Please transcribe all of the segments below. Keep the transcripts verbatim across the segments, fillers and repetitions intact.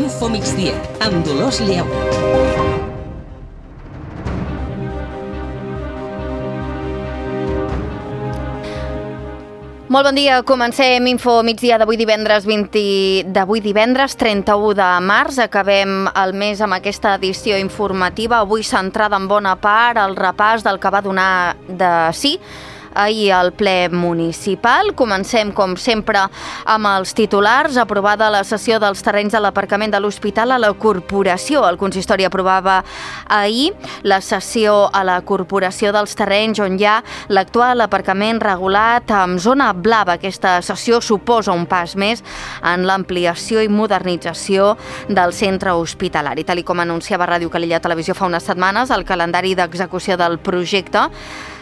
Infomigdia, amb Dolors Lleó. Molt bon dia, comencem Info migdia d'avui divendres vint d'avui divendres trenta-u de març. Acabem el mes amb aquesta edició informativa, avui centrada en bona part al repàs del que va donar de sí ahir al ple municipal. Comencem, com sempre, amb els titulars. Aprovada la cessió dels terrenys de l'aparcament de l'Hospital a la Corporació. El consistori aprovava ahir la cessió a la Corporació dels terrenys on hi ha l'actual aparcament regulat amb zona blava. Aquesta cessió suposa un pas més en l'ampliació i modernització del centre hospitalari. Tal com anunciava Ràdio Calella Televisió fa unes setmanes, el calendari d'execució del projecte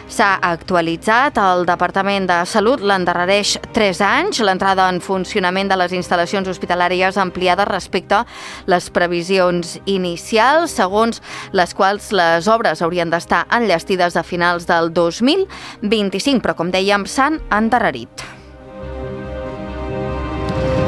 s'ha actualitzat. El Departament de Salut l'endarrereix tres anys. L'entrada en funcionament de les instal·lacions hospitalàries ampliades respecte a les previsions inicials, segons les quals les obres haurien d'estar enllestides a finals del dos mil vint-i-cinc, però com dèiem, s'han endarrerit.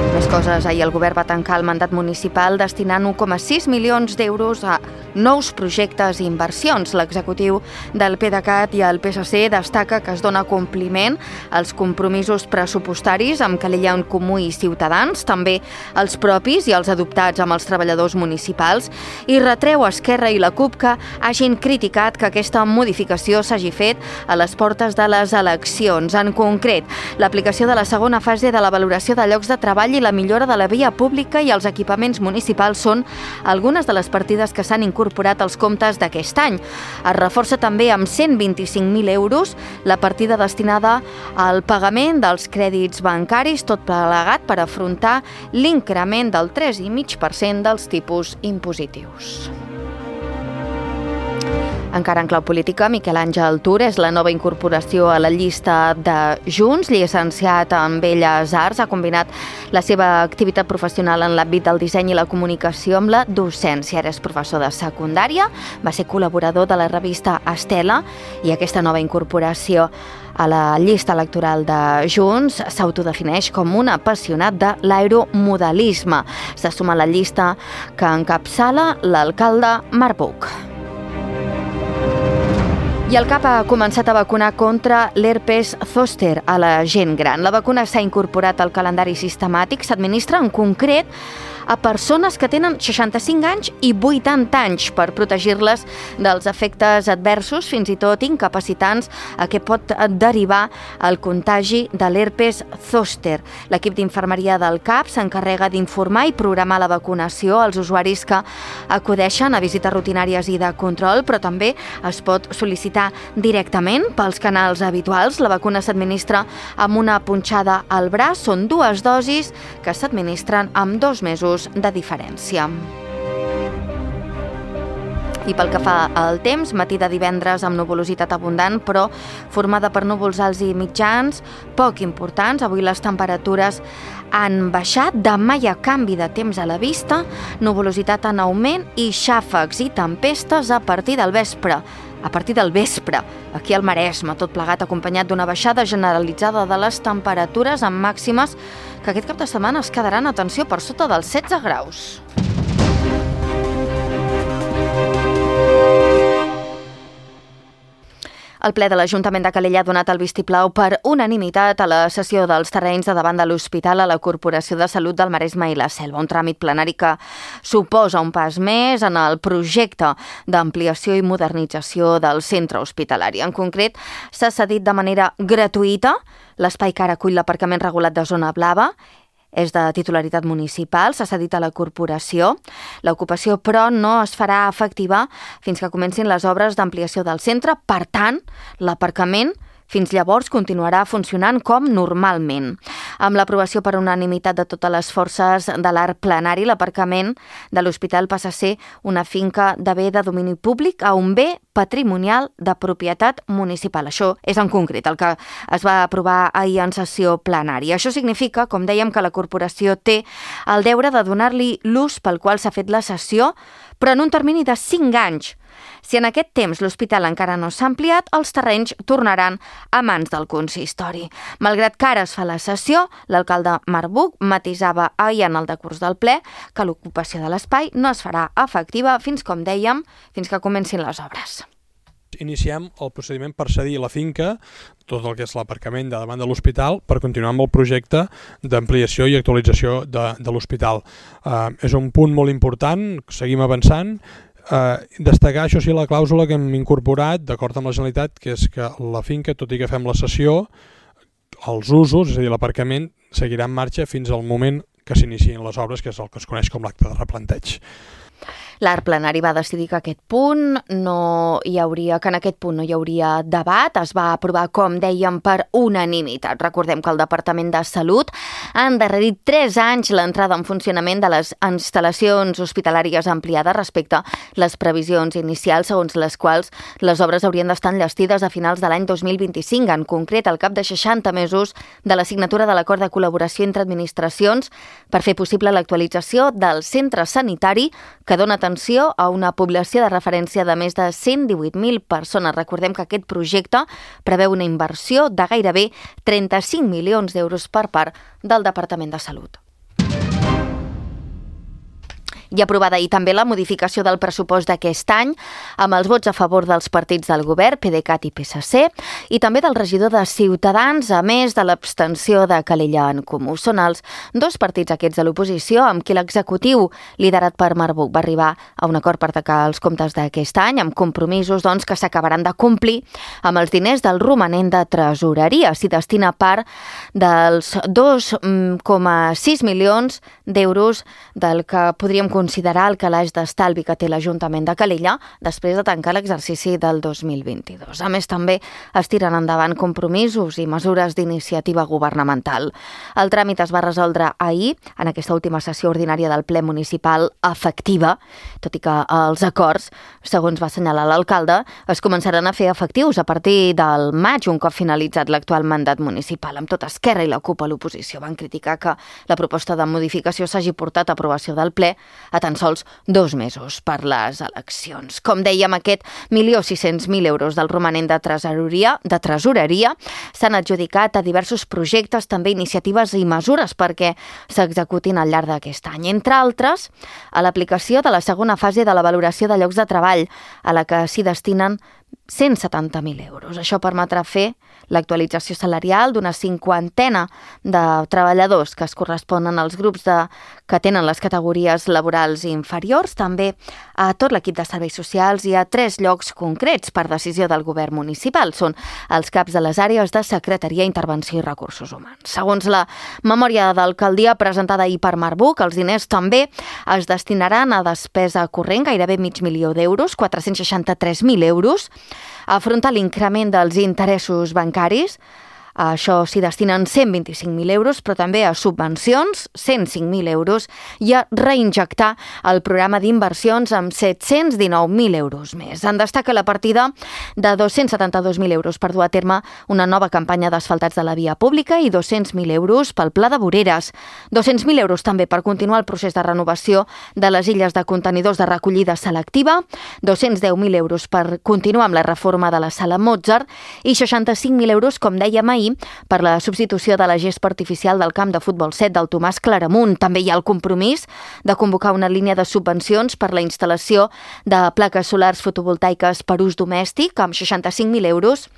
Més coses. Ahir el govern va tancar el mandat municipal destinant un coma sis milions d'euros a nous projectes i inversions. L'executiu del PDeCAT i el P S C destaca que es dona compliment als compromisos pressupostaris amb Calella en Comú i Ciutadans, també els propis i els adoptats amb els treballadors municipals, i retreu a Esquerra i la CUP que hagin criticat que aquesta modificació s'hagi fet a les portes de les eleccions. En concret, l'aplicació de la segona fase de la valoració de llocs de treball i la millora de la via pública i els equipaments municipals són algunes de les partides que s'han incorporat als comptes d'aquest any. Es reforça també amb cent vint-i-cinc mil euros la partida destinada al pagament dels crèdits bancaris, tot plegat per afrontar l'increment del tres coma cinc per cent dels tipus impositius. Encara en clau política, Miquel Àngel Tur és la nova incorporació a la llista de Junts. Llicenciat en Belles Arts, ha combinat la seva activitat professional en l'àmbit del disseny i la comunicació amb la docència. Ara és professor de secundària, va ser col·laborador de la revista Estela i aquesta nova incorporació a la llista electoral de Junts s'autodefineix com un apassionat de l'aeromodelisme. Se suma a la llista que encapçala l'alcalde Marc Buch. I el CAP ha començat a vacunar contra l'herpes zòster a la gent gran. La vacuna s'ha incorporat al calendari sistemàtic, s'administra en concret a persones que tenen seixanta-cinc anys i vuitanta anys per protegir-les dels efectes adversos, fins i tot incapacitants, a què pot derivar el contagi de l'herpes zòster. L'equip d'infermeria del CAP s'encarrega d'informar i programar la vacunació als usuaris que acudeixen a visites rutinàries i de control, però també es pot sol·licitar directament pels canals habituals. La vacuna s'administra amb una punxada al braç. Són dues dosis que s'administren amb dos mesos de diferència. I pel que fa al temps, matí de divendres amb nuvolositat abundant, però formada per núvols alts i mitjans, poc importants. Avui les temperatures han baixat, demà hi ha canvi de temps a la vista, nuvolositat en augment i xàfecs i tempestes a partir del vespre. A partir del vespre, aquí al Maresme, tot plegat acompanyat d'una baixada generalitzada de les temperatures amb màximes que aquest cap de setmana es quedaran, atenció, per sota dels setze graus. El ple de l'Ajuntament de Calella ha donat el vistiplau per unanimitat a la cessió dels terrenys de davant de l'Hospital a la Corporació de Salut del Maresme i la Selva, un tràmit plenari que suposa un pas més en el projecte d'ampliació i modernització del centre hospitalari. En concret, s'ha cedit de manera gratuïta l'espai que ara acull l'aparcament regulat de zona blava. És de titularitat municipal, s'ha cedit a la corporació. L'ocupació, però, no es farà efectiva fins que comencin les obres d'ampliació del centre. Per tant, l'aparcament fins llavors continuarà funcionant com normalment. Amb l'aprovació per unanimitat de totes les forces de l'arc plenari, l'aparcament de l'hospital passa a ser una finca de bé de domini públic a un bé patrimonial de propietat municipal. Això és en concret el que es va aprovar ahir en sessió plenària. Això significa, com dèiem, que la corporació té el deure de donar-li l'ús pel qual s'ha fet la cessió, però en un termini de cinc anys. Si en aquest temps l'hospital encara no s'ha ampliat, els terrenys tornaran a mans del consistori. Malgrat que ara es fa la cessió, l'alcalde Marc Buch matisava ahir en el decurs del ple que l'ocupació de l'espai no es farà efectiva fins, com dèiem, fins que comencin les obres. Iniciem el procediment per cedir la finca, tot el que és l'aparcament de davant de l'hospital, per continuar amb el projecte d'ampliació i actualització de, de l'hospital. Uh, és un punt molt important, seguim avançant. Uh, destacar, això sí, la clàusula que hem incorporat, d'acord amb la Generalitat, que és que la finca, tot i que fem la cessió, els usos, és a dir, l'aparcament, seguirà en marxa fins al moment que s'iniciïn les obres, que és el que es coneix com l'acte de replanteig. L'Art Plenari va decidir que aquest punt no hi hauria, que en aquest punt no hi hauria debat. Es va aprovar, com dèiem, per unanimitat. Recordem que el Departament de Salut ha endarrerit tres anys l'entrada en funcionament de les instal·lacions hospitalàries ampliades respecte a les previsions inicials, segons les quals les obres haurien d'estar enllestides a finals de l'any dos mil vint-i-cinc, en concret al cap de seixanta mesos de la signatura de l'acord de col·laboració entre administracions per fer possible l'actualització del centre sanitari que dona atenció a una població de referència de més de cent divuit mil persones. Recordem que aquest projecte preveu una inversió de gairebé trenta-cinc milions d'euros per part del Departament de Salut. I aprovada ahir també la modificació del pressupost d'aquest any amb els vots a favor dels partits del govern, PDeCAT i P S C, i també del regidor de Ciutadans, a més de l'abstenció de Calella en Comú. Són els dos partits aquests de l'oposició amb qui l'executiu, liderat per Marc Buch, va arribar a un acord per tacar els comptes d'aquest any, amb compromisos doncs, que s'acabaran de complir amb els diners del romanent de tresoreria. S'hi destina part dels dos coma sis milions d'euros del que podríem considerar el calaix d'estalvi que té l'Ajuntament de Calella després de tancar l'exercici del dos mil vint-i-dos. A més, també es tiren endavant compromisos i mesures d'iniciativa governamental. El tràmit es va resoldre ahir, en aquesta última sessió ordinària del ple municipal efectiva, tot i que els acords, segons va assenyalar l'alcalde, es començaran a fer efectius a partir del maig, un cop finalitzat l'actual mandat municipal. Amb tot, Esquerra i la CUP a l'oposició van criticar que la proposta de modificació s'hagi portat a aprovació del ple a tan sols dos mesos per les eleccions. Com dèiem, aquest milió sis-cents mil euros del romanent de tresoreria, de tresoreria s'han adjudicat a diversos projectes, també iniciatives i mesures perquè s'executin al llarg d'aquest any. Entre altres, a l'aplicació de la segona fase de la valoració de llocs de treball, a la que s'hi destinen cent setanta mil euros. Això permetrà fer l'actualització salarial d'una cinquantena de treballadors que es corresponen als grups de, que tenen les categories laborals inferiors, també a tot l'equip de serveis socials i a tres llocs concrets per decisió del govern municipal. Són els caps de les àrees de Secretaria, Intervenció i Recursos Humans. Segons la memòria d'alcaldia presentada ahir per Marc Buch, els diners també es destinaran a despesa corrent, gairebé mig milió d'euros, quatre-cents seixanta-tres mil euros, a afrontar l'increment dels interessos bancaris. A això s'hi destinen cent vint-i-cinc mil euros, però també a subvencions, cent cinc mil euros, i a reinjectar el programa d'inversions amb set-cents dinou mil euros més. En destaca la partida de dos-cents setanta-dos mil euros per dur a terme una nova campanya d'asfaltats de la via pública i dos-cents mil euros pel Pla de Voreres. dos-cents mil euros també per continuar el procés de renovació de les illes de contenidors de recollida selectiva, dos-cents deu mil euros per continuar amb la reforma de la Sala Mozart i seixanta-cinc mil euros, com dèiem ahir, per la substitució de la gespa artificial del camp de futbol set del Tomàs Claramunt. També hi ha el compromís de convocar una línia de subvencions per la instal·lació de plaques solars fotovoltaiques per ús domèstic amb seixanta-cinc mil euros,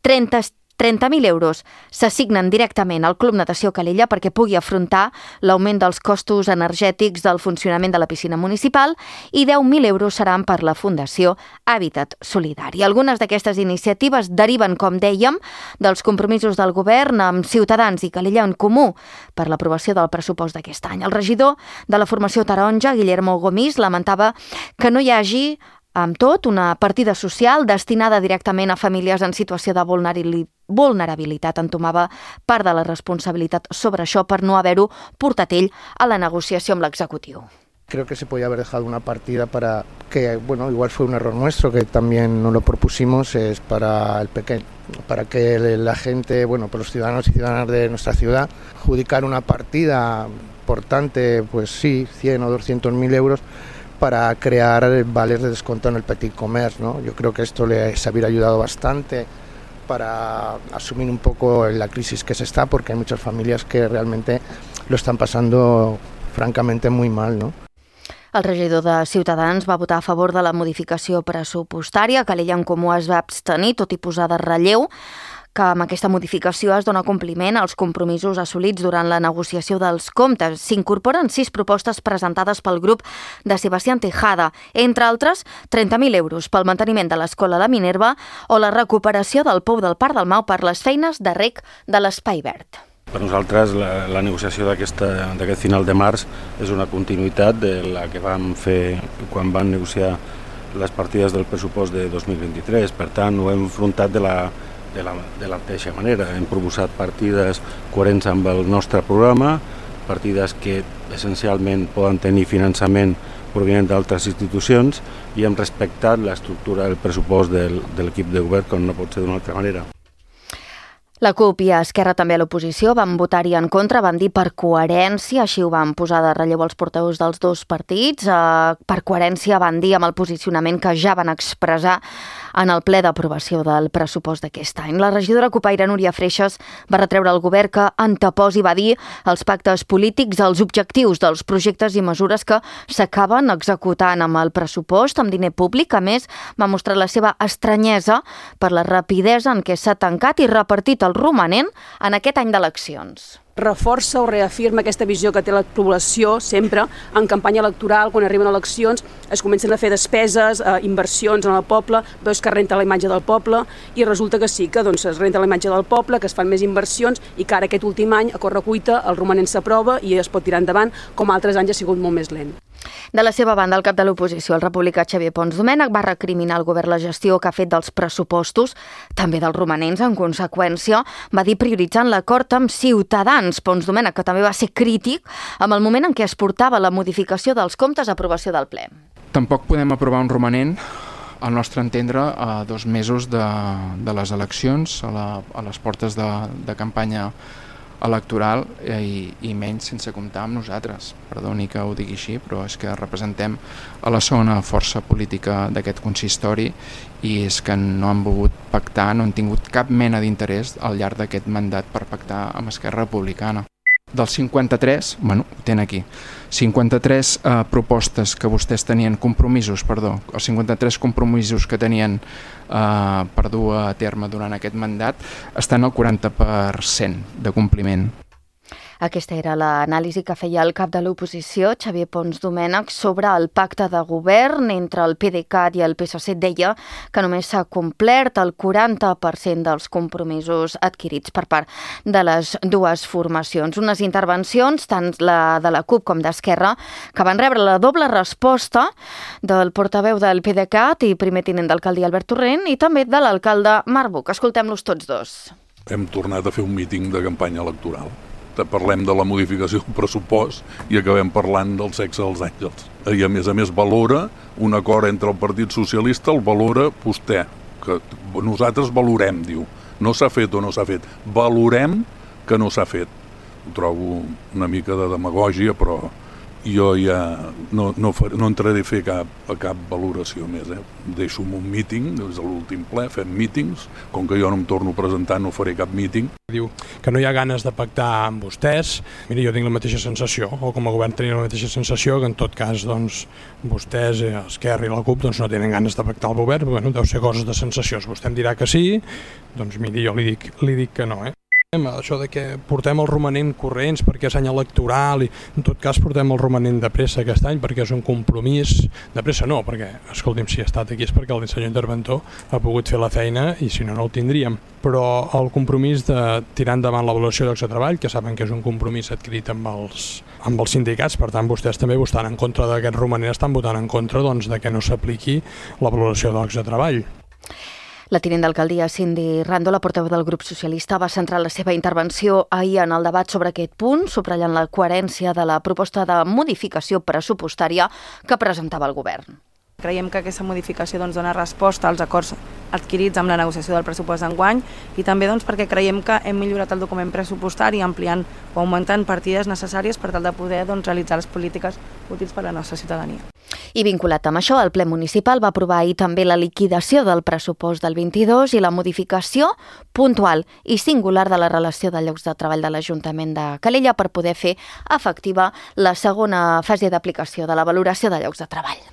trenta trenta mil euros s'assignen directament al Club Natació Calella perquè pugui afrontar l'augment dels costos energètics del funcionament de la piscina municipal i deu mil euros seran per la Fundació Hàbitat Solidari. Algunes d'aquestes iniciatives deriven, com dèiem, dels compromisos del govern amb Ciutadans i Calella en Comú per l'aprovació del pressupost d'aquest any. El regidor de la formació taronja, Guillermo Gomis, lamentava que no hi hagi amb tot, una partida social destinada directament a famílies en situació de vulnerabilitat. Entomava part de la responsabilitat sobre això per no haver-ho portat ell a la negociació amb l'executiu. Creo que se podía haber dejado una partida para que, bueno, igual fue un error nuestro, que también no lo propusimos, es para el pequeño, para que la gente, bueno, para los ciudadanos y ciudadanas de nuestra ciudad, adjudicar una partida importante, pues sí, cien o doscientos mil euros, para crear vales de descuento en el petit commerce, ¿no? Yo creo que esto les hubiera ayudado bastante para asumir un poco la crisis que se está, porque hay muchas familias que realmente lo están pasando francamente muy mal, ¿no? El regidor de Ciutadans va votar a favor de la modificació pressupostària, que l'Ella en Comú es va abstenir, tot i posar de relleu que amb aquesta modificació es dona compliment als compromisos assolits durant la negociació dels comptes. S'incorporen sis propostes presentades pel grup de Sebastián Tejada, entre altres trenta mil euros pel manteniment de l'escola La Minerva o la recuperació del pou del Parc del Mau per les feines de reg de l'Espai Verd. Per nosaltres la, la negociació d'aquest final de març és una continuïtat de la que vam fer quan vam negociar les partides del pressupost de dos mil vint-i-tres. Per tant, ho hem enfrontat de la, de la, de la mateixa manera. Hem proposat partides coherents amb el nostre programa, partides que essencialment poden tenir finançament provinent d'altres institucions, i hem respectat l'estructura del pressupost del, de l'equip de govern, com no pot ser d'una altra manera. La CUP i Esquerra, també a l'oposició, van votar-hi en contra, van dir per coherència, així ho van posar de relleu els portaveus dels dos partits. Per coherència van dir amb el posicionament que ja van expressar en el ple d'aprovació del pressupost d'aquest any. La regidora cupaire Núria Freixas va retreure al govern que anteposi, va dir, els pactes polítics als objectius dels projectes i mesures que s'acaben executant amb el pressupost, amb diner públic. A més, va mostrar la seva estranyesa per la rapidesa en què s'ha tancat i repartit el romanent en aquest any d'eleccions. Reforça o reafirma aquesta visió que té la població sempre en campanya electoral, quan arriben eleccions, es comencen a fer despeses, eh, inversions en el poble, veus que es renta la imatge del poble i resulta que sí, que doncs, es renta la imatge del poble, que es fan més inversions i que ara aquest últim any, a correcuita, el romanent s'aprova i es pot tirar endavant, com altres anys ha sigut molt més lent. De la seva banda, el cap de l'oposició, el republicà Xavier Pons Domènech, va recriminar al govern la gestió que ha fet dels pressupostos, també dels romanents. En conseqüència, va dir prioritzant l'acord amb Ciutadans. Pons Domènech, que també va ser crític amb el moment en què es portava la modificació dels comptes a aprovació del ple. Tampoc podem aprovar un romanent, al nostre entendre, a dos mesos de, de les eleccions, a, la, a les portes de, de campanya electoral i, i menys sense comptar amb nosaltres. Perdoni que ho digui així, però és que representem a la segona força política d'aquest consistori i és que no han volgut pactar, no han tingut cap mena d'interès al llarg d'aquest mandat per pactar amb Esquerra Republicana. Dels cinquanta-tres, bueno, ho tenen aquí, cinquanta-tres eh, propostes que vostès tenien, compromisos, perdó, els cinquanta-tres compromisos que tenien eh, per dur a terme durant aquest mandat estan al quaranta per cent de compliment. Aquesta era l'anàlisi que feia el cap de l'oposició, Xavier Pons Domènech, sobre el pacte de govern entre el PDeCAT i el P S C. Deia que només s'ha complert el quaranta per cent dels compromisos adquirits per part de les dues formacions. Unes intervencions, tant la de la CUP com d'Esquerra, que van rebre la doble resposta del portaveu del PDeCAT i primer tinent d'alcaldia Albert Torrent i també de l'alcalde Marc Buch. Escoltem-los tots dos. Hem tornat a fer un míting de campanya electoral. Parlem de la modificació del pressupost i acabem parlant del sexe dels àngels. I a més a més valora un acord entre el Partit Socialista, el valora vostè, que nosaltres valorem, diu. No s'ha fet o no s'ha fet. Valorem que no s'ha fet. Ho trobo una mica de demagògia, però jo ja no, no, far, no entraré a fer cap, a cap valoració més. Eh? Deixo-me un míting, des de l'últim ple, fem mítings, com que jo no em torno a presentar no faré cap míting. Diu que no hi ha ganes de pactar amb vostès. Mira, jo tinc la mateixa sensació, o com a govern tenim la mateixa sensació, que en tot cas doncs, vostès, Esquerra i la CUP doncs, no tenen ganes de pactar el govern, però bueno, deu ser coses de sensacions. Vostè em dirà que sí, doncs miri, jo li dic, li dic que no, eh? Això de que portem el romanent corrents perquè és any electoral i en tot cas portem el romanent de pressa aquest any perquè és un compromís de pressa no, perquè escolti'm, si ha estat aquí és perquè el senyor interventor ha pogut fer la feina i si no no el tindríem, però el compromís de tirar endavant l'avaluació llocs de treball, que saben que és un compromís adquirit amb els, amb els sindicats, per tant vostès també votant en contra d'aquest romanent, estan votant en contra doncs, de que no s'apliqui la valoració de llocs de treball. La tinent d'alcaldia Cindy Rando, la portaveu del grup socialista, va centrar la seva intervenció ahir en el debat sobre aquest punt, subratllant la coherència de la proposta de modificació pressupostària que presentava el govern. Creiem que aquesta modificació doncs, dona resposta als acords adquirits amb la negociació del pressupost d'enguany i també doncs, perquè creiem que hem millorat el document pressupostari ampliant o augmentant partides necessàries per tal de poder doncs, realitzar les polítiques útils per a la nostra ciutadania. I vinculat amb això, el ple municipal va aprovar ahir també la liquidació del pressupost del vint-i-dos i la modificació puntual i singular de la relació de llocs de treball de l'Ajuntament de Calella per poder fer efectiva la segona fase d'aplicació de la valoració de llocs de treball.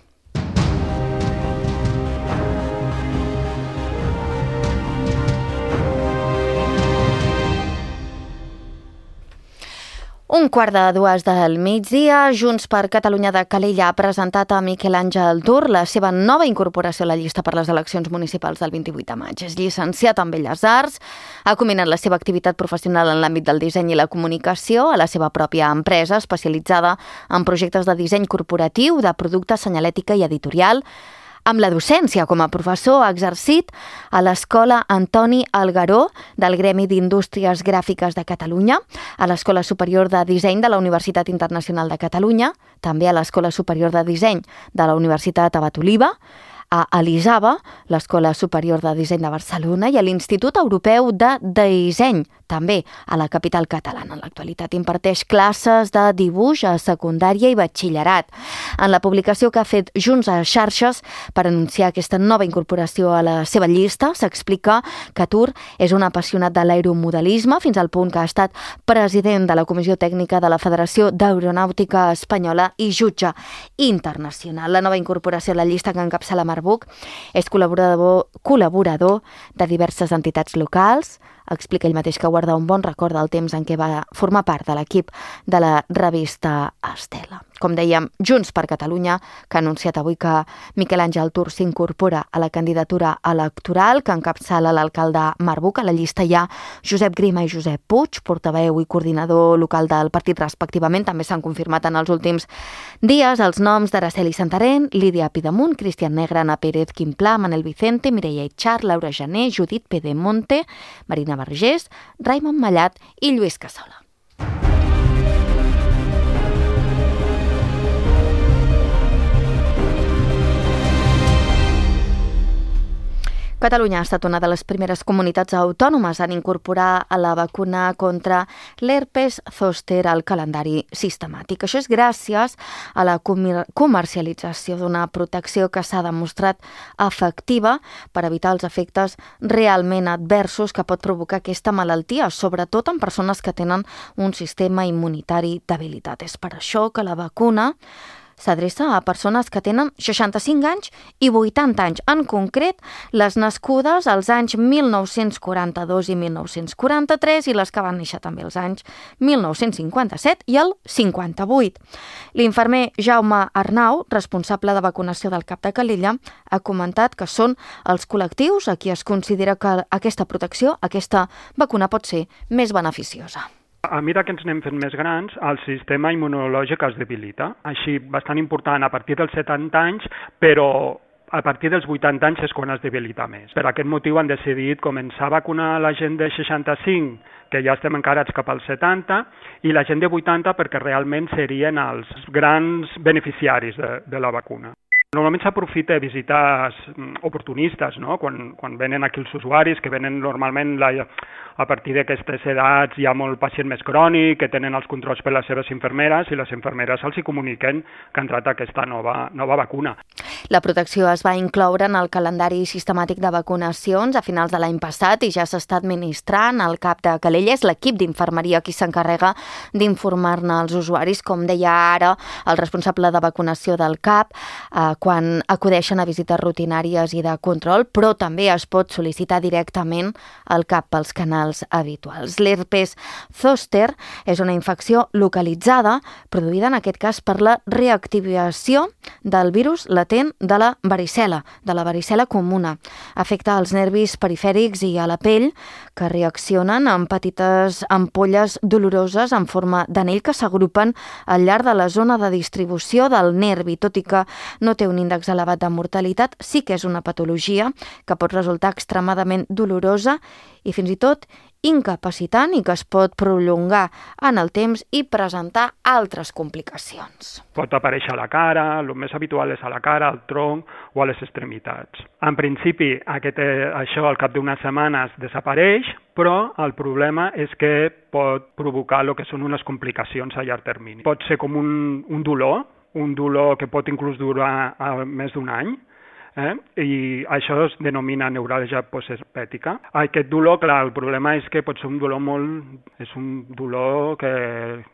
Un quart de dues del migdia, Junts per Catalunya de Calella ha presentat a Miquel Àngel Tur la seva nova incorporació a la llista per les eleccions municipals del vint-i-vuit de maig. És llicenciat en Belles Arts, ha combinat la seva activitat professional en l'àmbit del disseny i la comunicació a la seva pròpia empresa especialitzada en projectes de disseny corporatiu, de producte, senyalètica i editorial. Amb la docència com a professor ha exercit a l'Escola Antoni Algaró del Gremi d'Indústries Gràfiques de Catalunya, a l'Escola Superior de Disseny de la Universitat Internacional de Catalunya, també a l'Escola Superior de Disseny de la Universitat Abat Oliba, a l'ISABA, l'Escola Superior de Disseny de Barcelona, i a l'Institut Europeu de Disseny, també a la capital catalana. En l'actualitat imparteix classes de dibuix a secundària i batxillerat. En la publicació que ha fet Junts a xarxes per anunciar aquesta nova incorporació a la seva llista, s'explica que Tur és un apassionat de l'aeromodelisme fins al punt que ha estat president de la Comissió Tècnica de la Federació d'Aeronàutica Espanyola i jutge internacional. La nova incorporació a la llista que encapçala Marbuc és col·laborador, col·laborador de diverses entitats locals. Explica ell mateix que guarda un bon record del temps en què va formar part de l'equip de la revista Estela. Com dèiem, Junts per Catalunya, que ha anunciat avui que Miquel Àngel Tur s'incorpora a la candidatura electoral que encapçala l'alcalde Marbuc. A la llista hi ha Josep Grima i Josep Puig, portaveu i coordinador local del partit respectivament. També s'han confirmat en els últims dies els noms d'Araceli Santarén, Lídia Pidemunt, Cristian Negre, Ana Pérez, Quim Pla, Manel Vicente, Mireia Itxar, Laura Jané, Judit Pedemonte, Marina Vergés, Raimon Mallat i Lluís Cassola. Catalunya ha estat una de les primeres comunitats autònomes en incorporar a la vacuna contra l'herpes zòster al calendari sistemàtic. Això és gràcies a la comercialització d'una protecció que s'ha demostrat efectiva per evitar els efectes realment adversos que pot provocar aquesta malaltia, sobretot en persones que tenen un sistema immunitari debilitat. És per això que la vacuna s'adreça a persones que tenen seixanta-cinc anys i vuitanta anys, en concret les nascudes als anys mil nou-cents quaranta-dos i mil nou-cents quaranta-tres i les que van néixer també als anys mil nou-cents cinquanta-set i el cinquanta-vuit. L'infermer Jaume Arnau, responsable de vacunació del CAP de Calella, ha comentat que són els col·lectius a qui es considera que aquesta protecció, aquesta vacuna pot ser més beneficiosa. A mesura que ens anem fent més grans, el sistema immunològic es debilita. Així, bastant important a partir dels setanta anys, però a partir dels vuitanta anys és quan es debilita més. Per aquest motiu han decidit començar a vacunar la gent de seixanta-cinc, que ja estem encarats cap als setanta, i la gent de vuitanta perquè realment serien els grans beneficiaris de, de la vacuna. Normalment s'aprofita visites oportunistes, no? Quan, quan venen aquí els usuaris, que venen normalment la, a partir d'aquestes edats hi ha molt pacient més crònic, que tenen els controls per les seves infermeres i les infermeres els hi comuniquen que ha entrat aquesta nova, nova vacuna. La protecció es va incloure en el calendari sistemàtic de vacunacions a finals de l'any passat i ja s'està administrant al CAP de Calella. És l'equip d'infermeria qui s'encarrega d'informar-ne als usuaris, com deia ara el responsable de vacunació del CAP, eh, quan acudeixen a visites rutinàries i de control, però també es pot sol·licitar directament al CAP pels canals habituals. L'herpes zòster és una infecció localitzada produïda en aquest cas per la reactivació del virus latent de la varicel·la, de la varicel·la comuna. Afecta els nervis perifèrics i a la pell, que reaccionen amb petites ampolles doloroses en forma d'anell que s'agrupen al llarg de la zona de distribució del nervi, tot i que no té un índex elevat de mortalitat, sí que és una patologia que pot resultar extremadament dolorosa i fins i tot incapacitant i que es pot prolongar en el temps i presentar altres complicacions. Pot aparèixer a la cara, el més habitual és a la cara, al tronc o a les extremitats. En principi, aquest, això al cap d'unes setmanes desapareix, però el problema és que pot provocar el que són unes complicacions a llarg termini. Pot ser com un, un dolor, un dolor que pot inclús durar més d'un any, eh? I això es denomina neuràlgia postherpètica. Aquest dolor, clar, el problema és que pot ser un dolor molt... és un dolor que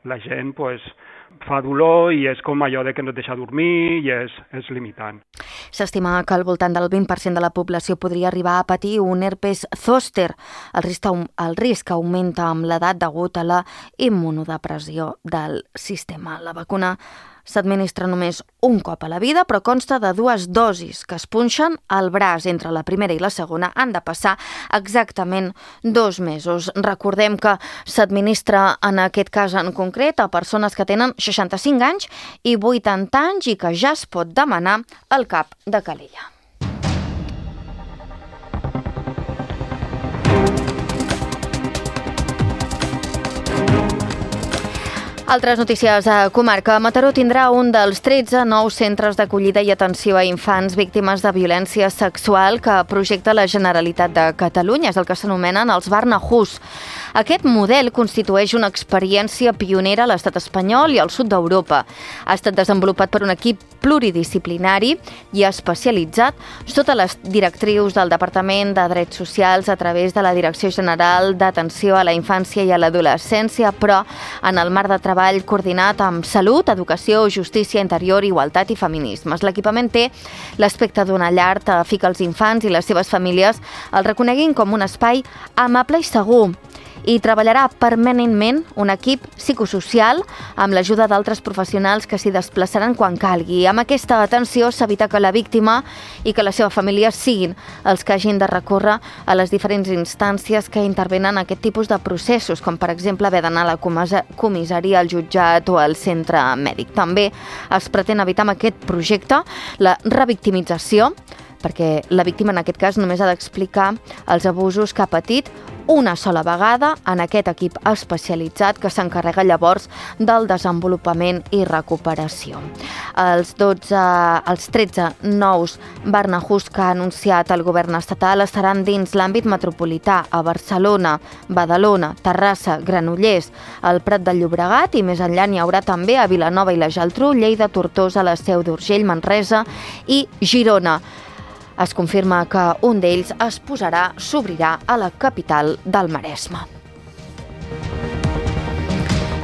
la gent pues, fa dolor i és com allò de que no et deixa dormir i és, és limitant. S'estima que al voltant del vint per cent de la població podria arribar a patir un herpes zòster. El risc, el risc augmenta amb l'edat degut a la immunodepressió del sistema. La vacuna s'administra només un cop a la vida, però consta de dues dosis que es punxen al braç. Entre la primera i la segona han de passar exactament dos mesos. Recordem que s'administra en aquest cas en concret a persones que tenen seixanta-cinc anys i vuitanta anys i que ja es pot demanar al cap de Calella. Altres notícies a comarca. Mataró tindrà un dels tretze nous centres d'acollida i atenció a infants víctimes de violència sexual que projecta la Generalitat de Catalunya. És el que s'anomenen els Barnahus. Aquest model constitueix una experiència pionera a l'estat espanyol i al sud d'Europa. Ha estat desenvolupat per un equip pluridisciplinari i especialitzat sota les directrius del Departament de Drets Socials a través de la Direcció General d'Atenció a la Infància i a l'Adolescència, però en el marc de treball coordinat amb Salut, Educació, Justícia, Interior, Igualtat i Feminismes. L'equipament té l'aspecte d'una llar que fa que els infants i les seves famílies el reconeguin com un espai amable i segur. I treballarà permanentment un equip psicosocial amb l'ajuda d'altres professionals que s'hi desplaçaran quan calgui. Amb aquesta atenció s'evita que la víctima i que la seva família siguin els que hagin de recórrer a les diferents instàncies que intervenen en aquest tipus de processos, com per exemple haver d'anar a la comissaria, al jutjat o al centre mèdic. També es pretén evitar amb aquest projecte la revictimització, perquè la víctima en aquest cas només ha d'explicar els abusos que ha patit una sola vegada en aquest equip especialitzat que s'encarrega llavors del desenvolupament i recuperació. Els, dotze, els tretze nous Barnahus que ha anunciat el govern estatal estaran dins l'àmbit metropolità a Barcelona, Badalona, Terrassa, Granollers, el Prat de Llobregat i més enllà n'hi haurà també a Vilanova i la Geltrú, Lleida, Tortosa, la Seu d'Urgell, Manresa i Girona. Es confirma que un d'ells es posarà, s'obrirà a la capital del Maresme.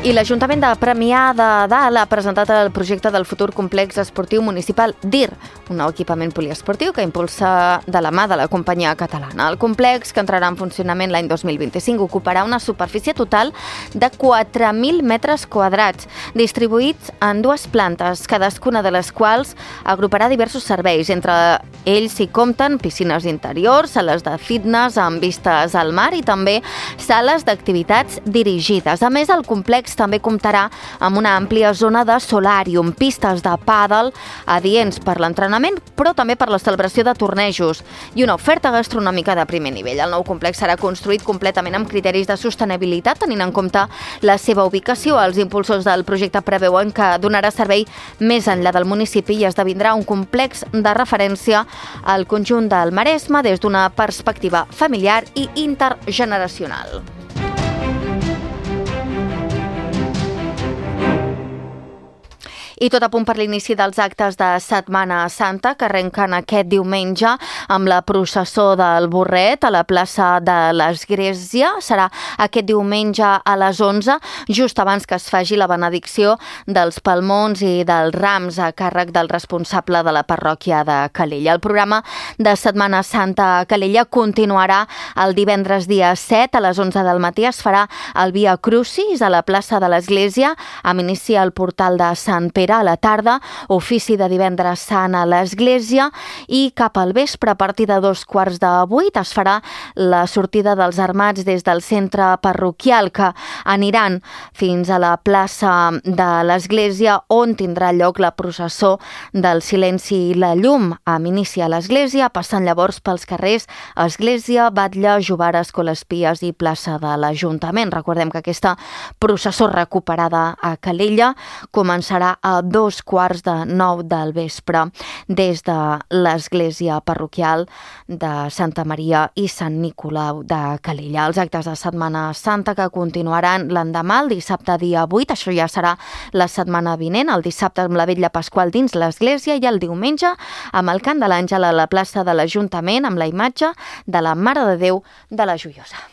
I l'Ajuntament de Premià de Dalt ha presentat el projecte del futur complex esportiu municipal D I R, un nou equipament poliesportiu que impulsa de la mà de la companyia catalana. El complex, que entrarà en funcionament l'any dos mil vint-i-cinc, ocuparà una superfície total de quatre mil metres quadrats, distribuïts en dues plantes, cadascuna de les quals agruparà diversos serveis. Entre ells s'hi compten piscines interiors, sales de fitness amb vistes al mar i també sales d'activitats dirigides. A més, el complex també comptarà amb una àmplia zona de solàrium, pistes de pàdel adients per l'entrenament, però també per la celebració de tornejos i una oferta gastronòmica de primer nivell. El nou complex serà construït completament amb criteris de sostenibilitat, tenint en compte la seva ubicació. Els impulsors del projecte preveuen que donarà servei més enllà del municipi i esdevindrà un complex de referència al conjunt del Maresme des d'una perspectiva familiar i intergeneracional. I tot a punt per l'inici dels actes de Setmana Santa, que arrenquen aquest diumenge amb la processó del Burret a la plaça de l'Església. Serà aquest diumenge a les onze, just abans que es faci la benedicció dels palmons i dels rams a càrrec del responsable de la parròquia de Calella. El programa de Setmana Santa a Calella continuarà el divendres dia set a les onze del matí. Es farà el Via Crucis a la plaça de l'Església, amb inici al portal de Sant Pere a la tarda, ofici de divendres sant a l'església i cap al vespre, a partir de dos quarts de vuit, es farà la sortida dels armats des del centre parroquial, que aniran fins a la plaça de l'església, on tindrà lloc la processó del silenci i la llum, amb inici a l'església, passant llavors pels carrers Església, Batlle, Jovara, Escolespies i plaça de l'Ajuntament. Recordem que aquesta processó recuperada a Calella començarà a a dos quarts de nou del vespre des de l'església parroquial de Santa Maria i Sant Nicolau de Calella. Els actes de Setmana Santa que continuaran l'endemà, el dissabte dia vuit, això ja serà la setmana vinent, el dissabte amb la vetlla pasqual dins l'església i el diumenge amb el cant de l'Àngel a la plaça de l'Ajuntament amb la imatge de la Mare de Déu de la Joiosa.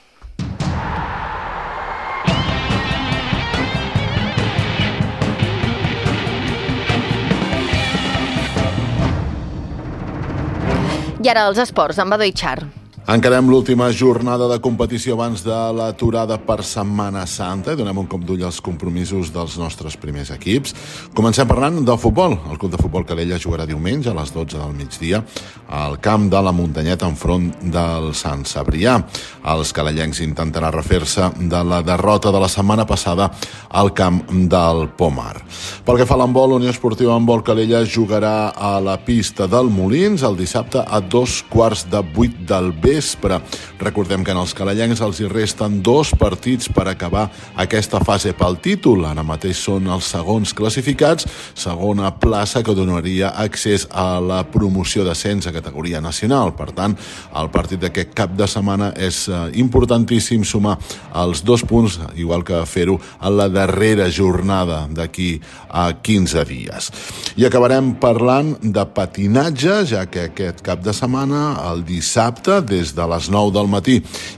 I ara els esports, amb Badó Itxar. Encarem l'última jornada de competició abans de l'aturada per Setmana Santa i donem un cop d'ull als compromisos dels nostres primers equips. Comencem parlant del futbol. El Club de Futbol Calella jugarà diumenge a les dotze del migdia al camp de la Muntanyeta enfront del Sant Cebrià. Els calellencs intentaran refer-se de la derrota de la setmana passada al camp del Pomar. Pel que fa a l'handbol, l'Unió Esportiva Handbol Calella jugarà a la pista del Molins el dissabte a dos quarts de vuit del vespre. Recordem que en els calellencs els hi resten dos partits per acabar aquesta fase pel títol. Ara mateix són els segons classificats, segona plaça que donaria accés a la promoció d'ascens a categoria nacional. Per tant, el partit d'aquest cap de setmana és importantíssim sumar els dos punts, igual que fer-ho a la darrera jornada d'aquí a quinze dies. I acabarem parlant de patinatge, ja que aquest cap de setmana, el dissabte, des des de les nou del matí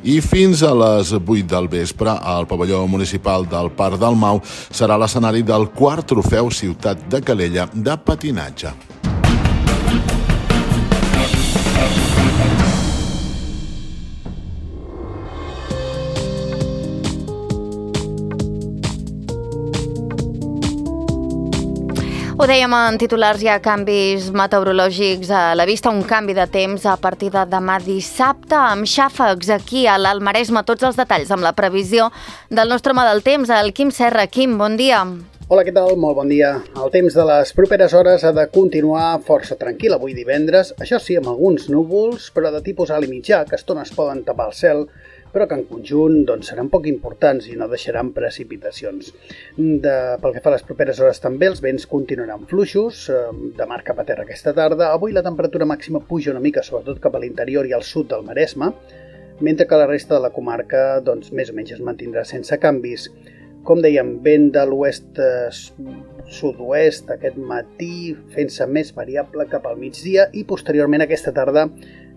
i fins a les vuit del vespre al pavelló municipal del Parc del Mau serà l'escenari del quart trofeu Ciutat de Calella de patinatge. Ho dèiem en titulars, hi ha canvis meteorològics a la vista, un canvi de temps a partir de demà dissabte, amb xàfecs aquí a l'Alt Maresme. Tots els detalls amb la previsió del nostre home del temps, el Quim Serra. Quim, bon dia. Hola, què tal? Molt bon dia. El temps de les properes hores ha de continuar força tranquil avui divendres, això sí, amb alguns núvols, però de tipus alt i mitjà, que a estones poden tapar el cel, però que en conjunt doncs, seran poc importants i no deixaran precipitacions. De, pel que fa a les properes hores també, els vents continuaran fluixos, eh, de mar cap a terra aquesta tarda. Avui la temperatura màxima puja una mica, sobretot cap a l'interior i al sud del Maresme, mentre que la resta de la comarca doncs, més o menys es mantindrà sense canvis. Com dèiem, vent de l'oest eh, sud-oest aquest matí, fent-se més variable cap al migdia i posteriorment aquesta tarda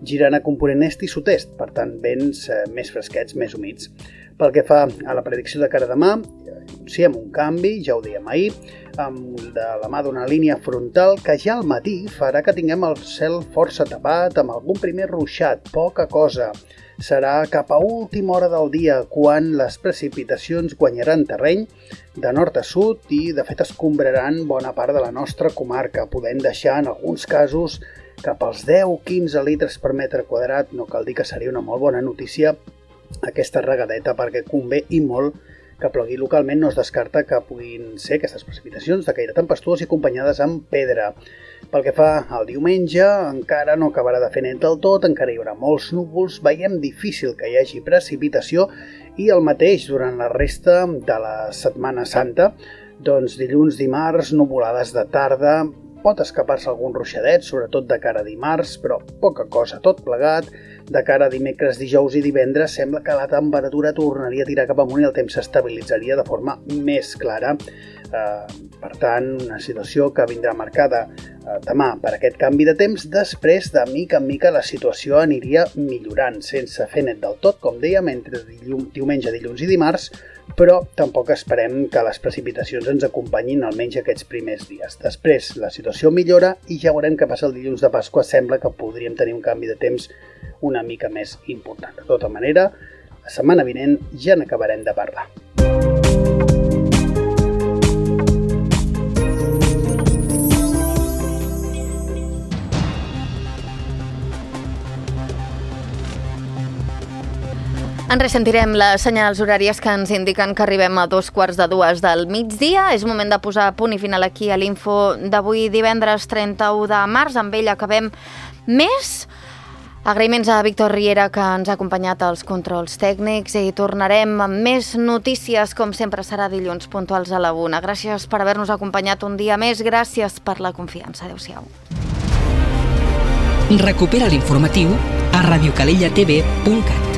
girant a component est i sud-est, per tant vents eh, més fresquets, més humits. Pel que fa a la predicció de cara a demà, sí, amb un canvi, ja ho dèiem ahir, amb de la mà d'una línia frontal que ja al matí farà que tinguem el cel força tapat amb algun primer ruixat, poca cosa. Serà cap a última hora del dia quan les precipitacions guanyaran terreny de nord a sud i de fet escombraran bona part de la nostra comarca, podent deixar en alguns casos cap als deu a quinze litres per metre quadrat. No cal dir que seria una molt bona notícia aquesta regadeta perquè convé i molt que plogui localment. No es descarta que puguin ser aquestes precipitacions de caire tempestuós i acompanyades amb pedra. Pel que fa al diumenge, encara no acabarà de fer net del tot, encara hi haurà molts núvols, veiem difícil que hi hagi precipitació i el mateix durant la resta de la Setmana Santa. Doncs dilluns, dimarts, nuvolades de tarda, pot escapar-se algun ruixadet, sobretot de cara a dimarts, però poca cosa, tot plegat. De cara a dimecres, dijous i divendres sembla que la temperatura tornaria a tirar cap amunt i el temps s'estabilitzaria de forma més clara. Eh, per tant, una situació que vindrà marcada eh, demà per aquest canvi de temps. Després, de mica en mica, la situació aniria millorant, sense fer net del tot, com dèiem, entre dilluns, diumenge, dilluns i dimarts, però tampoc esperem que les precipitacions ens acompanyin almenys aquests primers dies. Després, la situació millora i ja veurem què passa el dilluns de Pasqua. Sembla que podríem tenir un canvi de temps una mica més important. De tota manera, la setmana vinent ja n'acabarem de parlar. En ressentirem les senyals horàries que ens indiquen que arribem a dos quarts de dues del migdia. És moment de posar punt i final aquí a l'info d'avui divendres trenta-u de març. Amb ell acabem més. Agraïments a Víctor Riera, que ens ha acompanyat als controls tècnics, i tornarem amb més notícies, com sempre serà dilluns, puntuals a la una. Gràcies per haver-nos acompanyat un dia més, gràcies per la confiança. Adéu-siau. Recupera l'informatiu a radiocalellatv punt cat.